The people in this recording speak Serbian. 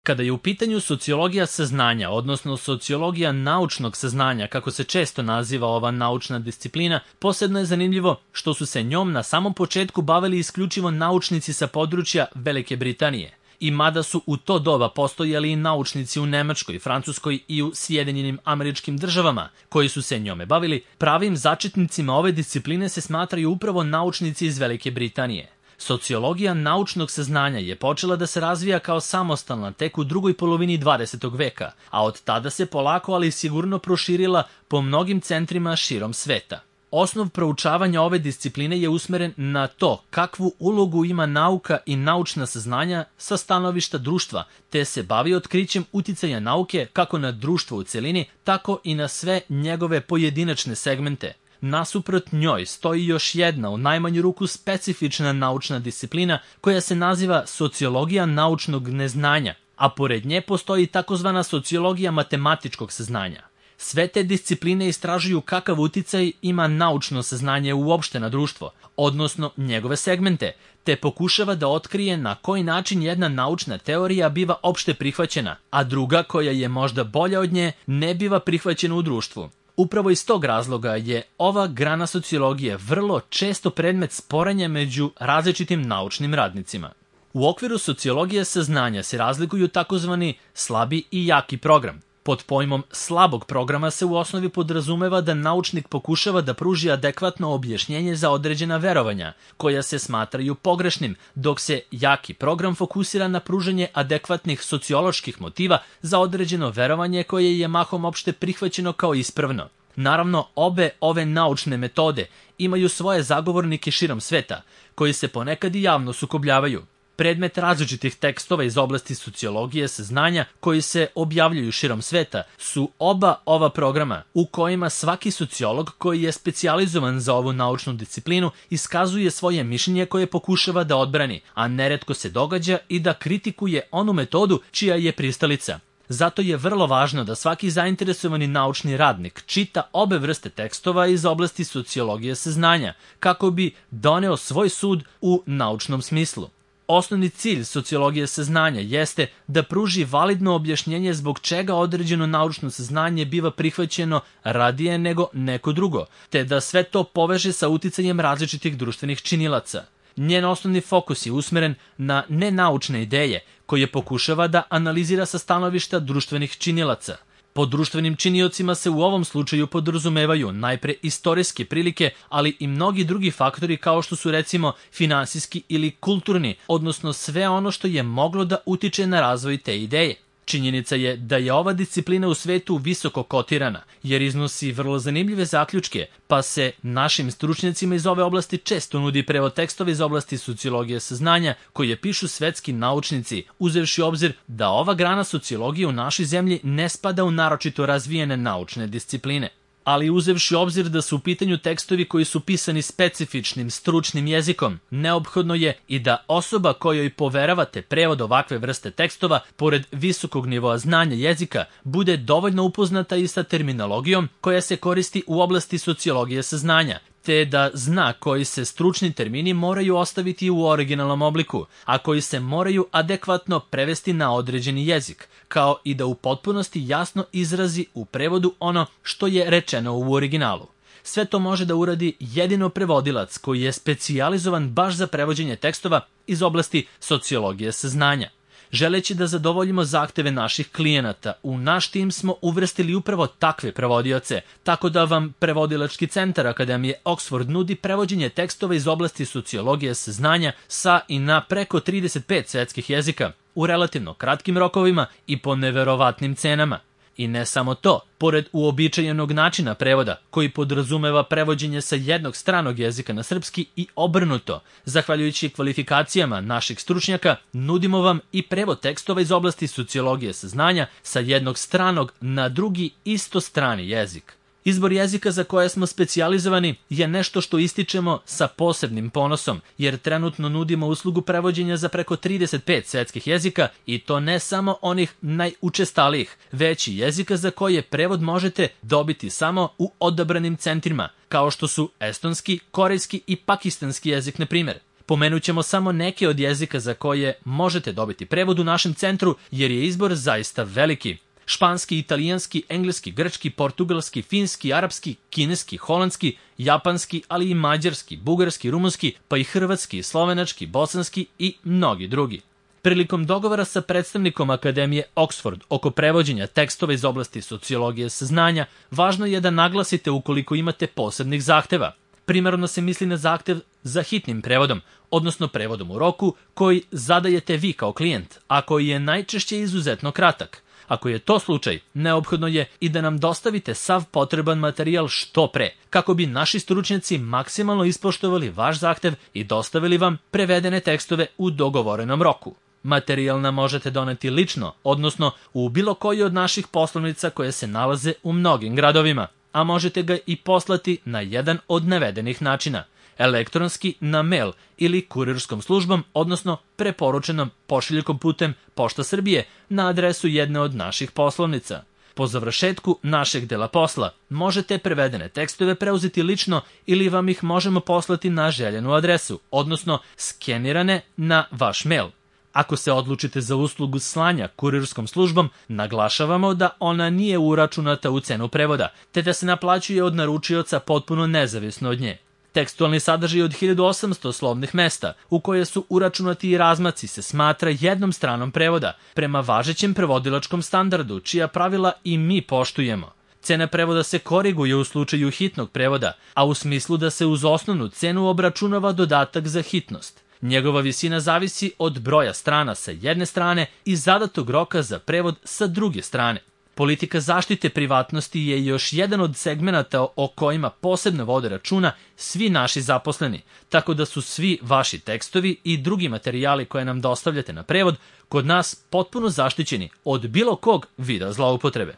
Kada je u pitanju sociologija saznanja, odnosno sociologija naučnog saznanja, kako se često naziva ova naučna disciplina, posebno je zanimljivo što su se njom na samom početku bavili isključivo naučnici sa područja Velike Britanije. I mada su u to doba postojali i naučnici u Nemačkoj, Francuskoj i u Sjedinjenim Američkim Državama koji su se njome bavili, pravim začetnicima ove discipline se smatraju upravo naučnici iz Velike Britanije. Sociologija naučnog saznanja je počela da se razvija kao samostalna tek u drugoj polovini 20. veka, a od tada se polako ali sigurno proširila po mnogim centrima širom sveta. Osnov proučavanja ove discipline je usmeren na to kakvu ulogu ima nauka i naučna saznanja sa stanovišta društva, te se bavi otkrićem uticaja nauke kako na društvo u celini, tako i na sve njegove pojedinačne segmente. Nasuprot njoj stoji još jedna, u najmanju ruku specifična naučna disciplina koja se naziva sociologija naučnog neznanja, a pored nje postoji takozvana sociologija matematičkog saznanja. Sve te discipline istražuju kakav uticaj ima naučno saznanje uopšte na društvo, odnosno njegove segmente, te pokušava da otkrije na koji način jedna naučna teorija biva opšte prihvaćena, a druga, koja je možda bolja od nje, ne biva prihvaćena u društvu. Upravo iz tog razloga je ova grana sociologije vrlo često predmet sporenja među različitim naučnim radnicima. U okviru sociologije saznanja se razlikuju takozvani slabi i jaki program. Pod pojmom slabog programa se u osnovi podrazumeva da naučnik pokušava da pruži adekvatno objašnjenje za određena verovanja, koja se smatraju pogrešnim, dok se jaki program fokusira na pružanje adekvatnih socioloških motiva za određeno verovanje koje je mahom opšte prihvaćeno kao ispravno. Naravno, obe ove naučne metode imaju svoje zagovornike širom sveta, koji se ponekad i javno sukobljavaju. Predmet različitih tekstova iz oblasti sociologije saznanja koji se objavljuju širom sveta su oba ova programa u kojima svaki sociolog koji je specijalizovan za ovu naučnu disciplinu iskazuje svoje mišljenje koje pokušava da odbrani, a neretko se događa i da kritikuje onu metodu čija je pristalica. Zato je vrlo važno da svaki zainteresovani naučni radnik čita obe vrste tekstova iz oblasti sociologije saznanja kako bi doneo svoj sud u naučnom smislu. Osnovni cilj sociologije saznanja jeste da pruži validno objašnjenje zbog čega određeno naučno saznanje biva prihvaćeno radije nego neko drugo, te da sve to poveže sa uticajem različitih društvenih činilaca. Njen osnovni fokus je usmeren na nenaučne ideje, koje pokušava da analizira sa stanovišta društvenih činilaca. Pod društvenim činiocima se u ovom slučaju podrazumevaju najpre istorijske prilike, ali i mnogi drugi faktori kao što su recimo finansijski ili kulturni, odnosno sve ono što je moglo da utiče na razvoj te ideje. Činjenica je da je ova disciplina u svetu visoko kotirana, jer iznosi vrlo zanimljive zaključke, pa se našim stručnjacima iz ove oblasti često nudi prevod tekstova iz oblasti sociologije saznanja koje pišu svetski naučnici, uzevši u obzir da ova grana sociologije u našoj zemlji ne spada u naročito razvijene naučne discipline. Ali uzevši u obzir da su u pitanju tekstovi koji su pisani specifičnim, stručnim jezikom, neophodno je i da osoba kojoj poveravate prevod ovakve vrste tekstova, pored visokog nivoa znanja jezika, bude dovoljno upoznata i sa terminologijom koja se koristi u oblasti sociologije saznanja, te da zna koji se stručni termini moraju ostaviti u originalnom obliku, a koji se moraju adekvatno prevesti na određeni jezik, kao i da u potpunosti jasno izrazi u prevodu ono što je rečeno u originalu. Sve to može da uradi jedino prevodilac koji je specijalizovan baš za prevođenje tekstova iz oblasti sociologije saznanja. Želeći da zadovoljimo zahteve naših klijenata, u naš tim smo uvrstili upravo takve prevodioce, tako da vam Prevodilački centar Akademije Oxford nudi prevođenje tekstova iz oblasti sociologije saznanja sa i na preko 35 svetskih jezika, u relativno kratkim rokovima i po neverovatnim cenama. I ne samo to, pored uobičajenog načina prevoda, koji podrazumeva prevođenje sa jednog stranog jezika na srpski i obrnuto, zahvaljujući kvalifikacijama naših stručnjaka, nudimo vam i prevod tekstova iz oblasti sociologije saznanja sa jednog stranog na drugi isto strani jezik. Izbor jezika za koje smo specijalizovani je nešto što ističemo sa posebnim ponosom, jer trenutno nudimo uslugu prevođenja za preko 35 svetskih jezika i to ne samo onih najučestalijih, već i jezika za koje prevod možete dobiti samo u odabranim centrima, kao što su estonski, korejski i pakistanski jezik, na primjer. Pomenut ćemo samo neke od jezika za koje možete dobiti prevod u našem centru, jer je izbor zaista veliki. Španski, italijanski, engleski, grčki, portugalski, finski, arapski, kineski, holandski, japanski, ali i mađarski, bugarski, rumunski, pa i hrvatski, slovenački, bosanski i mnogi drugi. Prilikom dogovora sa predstavnikom Akademije Oxford oko prevođenja tekstova iz oblasti sociologije saznanja, važno je da naglasite ukoliko imate posebnih zahteva. Primarno se misli na zahtev za hitnim prevodom, odnosno prevodom u roku koji zadajete vi kao klijent, a koji je najčešće izuzetno kratak. Ako je to slučaj, neophodno je i da nam dostavite sav potreban materijal što pre, kako bi naši stručnjaci maksimalno ispoštovali vaš zahtev i dostavili vam prevedene tekstove u dogovorenom roku. Materijal nam možete doneti lično, odnosno u bilo koji od naših poslovnica koje se nalaze u mnogim gradovima, a možete ga i poslati na jedan od navedenih načina, elektronski na mail ili kurirskom službom, odnosno preporučenom pošiljkom putem Pošta Srbije na adresu jedne od naših poslovnica. Po završetku našeg dela posla možete prevedene tekstove preuzeti lično ili vam ih možemo poslati na željenu adresu, odnosno skenirane na vaš mail. Ako se odlučite za uslugu slanja kurirskom službom, naglašavamo da ona nije uračunata u cenu prevoda, te da se naplaćuje od naručioca potpuno nezavisno od nje. Tekstualni sadržaj od 1800 slovnih mesta, u koje su uračunati i razmaci, se smatra jednom stranom prevoda, prema važećem prevodilačkom standardu, čija pravila i mi poštujemo. Cena prevoda se koriguje u slučaju hitnog prevoda, a u smislu da se uz osnovnu cenu obračunava dodatak za hitnost. Njegova visina zavisi od broja strana sa jedne strane i zadatog roka za prevod sa druge strane. Politika zaštite privatnosti je još jedan od segmenata o kojima posebno vode računa svi naši zaposleni, tako da su svi vaši tekstovi i drugi materijali koje nam dostavljate na prevod kod nas potpuno zaštićeni od bilo kog vida zloupotrebe.